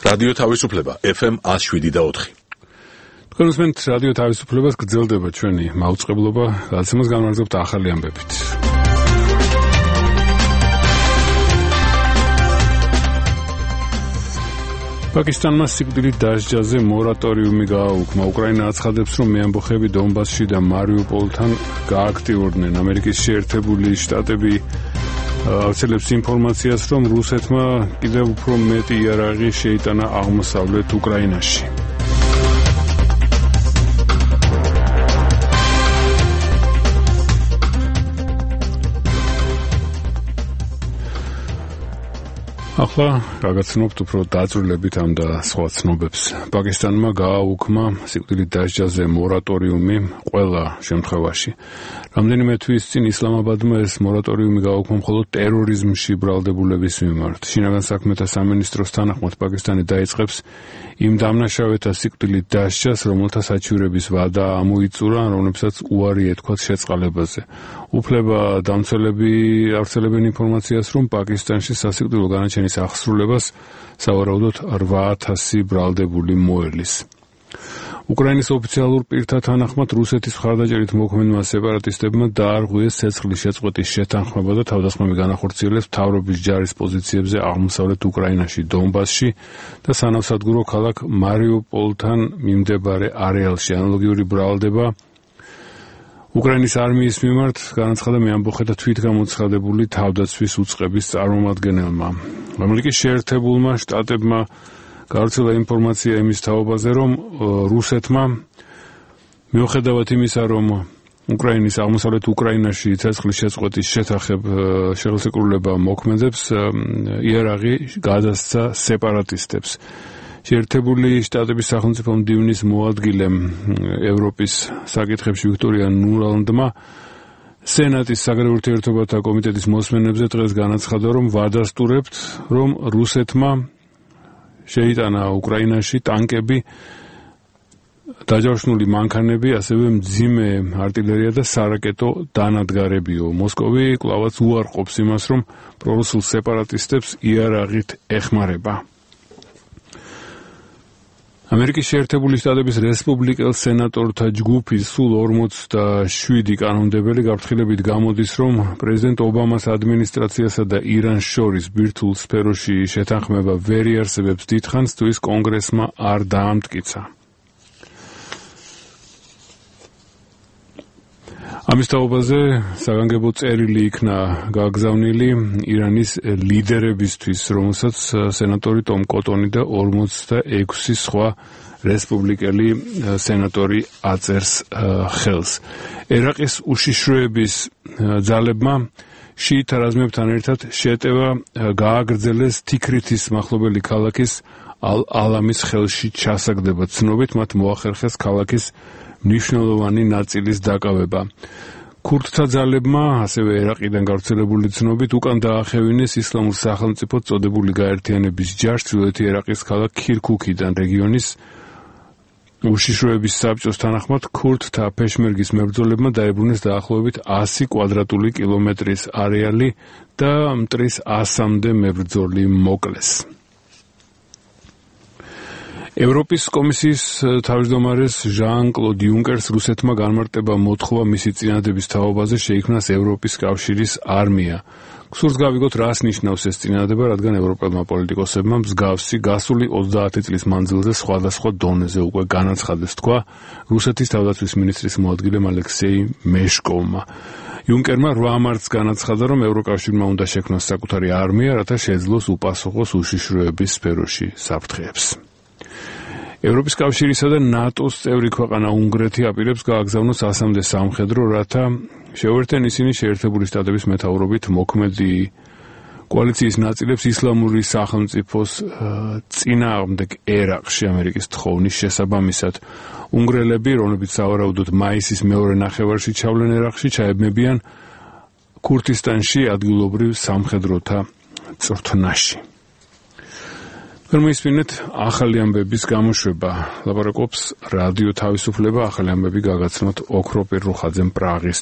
რადიო თავისუფლება FM 107.4. თქვენ უსმენთ რადიო თავისუფლებას, გრძელდება ჩვენი მაუწყებლობა, გადაცემას განმარჯობთ ახალი ამბებით. პაკისტანმა სიკვდილით დასჯაზე მორატორიუმი გააუქმა. უკრაინა აცხადებს, რომ მეამბოხები დონბასში და მარიუპოლთან გააქტიურდნენ. ამერიკის შეერთებული შტატები ავრცელებს ინფორმაციას, რომ რუსეთმა კიდევ უფრო მეტი იარაღი შეიტანა აღმოსავლეთ უკრაინაში. ახლა გაგაცნობთ უფრო დაწვრილებით ამ და სხვა ცნობებს. პაკისტანმა გააუქმა სიკვდილით დასჯაზე მორატორიუმი ყველა შემთხვევაში. რამდენიმე თვის წინ ისლამაბადმა ეს მორატორიუმი გააუქმა მხოლოდ ტერორიზმში ბრალდებულების მიმართ. შინაგან საქმეთა სამინისტროს თანახმად პაკისტანი დაიწყებს იმ დამნაშავეთა სიკვდილით დასჯას, რომელთა საჩივრების ვადა ამოიწურა, რომლებსაც უარი ეთქვათ შეწყალებაზე. უფლება დამცველები ავრცელებენ ინფორმაციას, რომ პაკისტანში სასიკვდილო განაჩენის აღსრულებას სავარაუდოდ 8,000 ბრალდებული მოელის. უკრაინის ოფიციალურ პირთა თანახმად რუსეთის მხარდაჭერით მოქმედმა სეპარატისტებმა დაარღვიეს ცეცხლის შეწყვეტის შეთანხმება და თავდასხმები განახორციელეს მთავრობის ჯარის პოზიციებზე აღმოსავლეთ უკრაინაში, დონბასში და სანავსადგურო ქალაქ მარიუპოლთან მიმდებარე არეალში. ანალოგიური ბრალდება უკრაინის არმიის მიმართ განაცხადა მეამბოხეთა თვითგამოცხადებული თავდაცვის უწყების წარმომადგენელმა. ამერიკის შეერთებულმა შტატებმა გავრცელა ინფორმაცია იმის თაობაზე, რომ რუსეთმა მიუხედავად იმისა, რომ უკრაინის აღმოსავლეთ უკრაინაში ცეცხლის შეწყვეტის შეთანხმება მოქმედებს, იარაღი გადასცა სეპარატისტებს. შეერთებული შტატების სახელმწიფო მდივნის მოადგილემ ევროპის საკითხებში ვიქტორია ნულანდმა სენატის საგარეო ურთიერთობათა კომიტეტის მოსმენებზე დღეს განაცხადა, რომ ვადასტურებთ, რომ რუსეთმა შეიტანა უკრაინაში ტანკები, დაჯავშნული მანქანები, ასევე მძიმე артиლერია და სარაკეტო დანადგარებიო. მოსკოვი კვლავაც უარყოფს იმას, რომ პრორუსულ სეპარატისტებს იარაღით ეხმარება. ამერიკის შეერთებული შტატების რესპუბლიკელ სენატორთა ჯგუფის სულ 47 კანონმდებელი გაფრთხილებით გამოდის, რომ პრეზიდენტ ობამას ადმინისტრაციასა და ირანს შორის ბირთვულ სფეროში შეთანხმება ვერ იარსებებს დიდხანს, თუ ის კონგრესმა არ დაამტკიცა. ამის თაობაზე საგანგებო წერილი იქნა გაგზავნილი ირანის ლიდერებისთვის, რომელსაც სენატორი ტომ კოტონი და 46 სხვა რესპუბლიკელი სენატორი აწერს ხელს. ერაყის უშიშროების ძალებმა შიიტთა რაზმებთან ერთად შეტევა გააგრძელეს თიქრითის მახლობელი ქალაქის ალ-ალამის ხელში ჩასაგდება. ცნობით მათ მოახერხეს ქალაქის მნიშვნელოვანი ნაწილის დაკავება. ქურდთა ძალებმა, ასევე ერაყიდან გავრცელებული ცნობით, უკან დაახევინეს ისლამურ სახელმწიფოდ წოდებული გაერთიანების ჯარს ჩრდილოეთი ერაყის ქალაქ ქირქუქიდან. რეგიონის უშიშროების საბჭოს თანახმად, ქურდთა პეშმერგის მებრძოლებმა დაებრუნეს დაახლოებით 100 კვადრატული კილომეტრის არეალი და მტრის 100-მდე მებრძოლი მოკლეს. ევროპის კომისიის თავმჯდომარეს ჟან-კლოდ იუნკერს რუსეთმა განმარტება მოთხოვა მისი წინადადების თაობაზე შეიქმნას ევროპის კავშირის არმია. გსურს გავიგოთ, რას ნიშნავს ეს წინადადება, რადგან ევროპელმა პოლიტიკოსებმა მსგავსი გასული 30 წლის მანძილზე სხვადასხვა დონეზე უკვე განაცხადეს, თქვა რუსეთის თავდაცვის მინისტრის მოადგილემ ალექსეი მეშკოვმა. იუნკერმა 8 მარტს განაცხადა, რომ ევროკავშირმა უნდა შექმნას საკუთარი არმია, რათა შეძლოს უპასუხოს უშიშროების სფეროში საფრთხეებს. ევროპის კავშირისა და ნატოს წევრი ქვეყანა უნგრეთი აპირებს გააგზავნოს 100-მდე სამხედრო, რათა შეუერთեն ისინი შეერთებული შტატების მეთაურობით მოქმედი კოალიციის ნაწილებს ისლამური სახელმწიფოს წინააღმდეგ ერაყში ამერიკის თხოვნის შესაბამისად. უნგრელები, რომლებიც სავარაუდოდ მაისის მეორე ნახევარში ჩავლენ ერაყში, ჩაებმებიან ქურთისტანში ადგილობრივ სამხედროთა წვრთნაში. Permisminit ახალი ამბების გამოშვება. ლაპარაკობს რადიო თავისუფლება, ახალი ამბები გაგაცნოთ ოქროპირ რუხაძემ პრაღის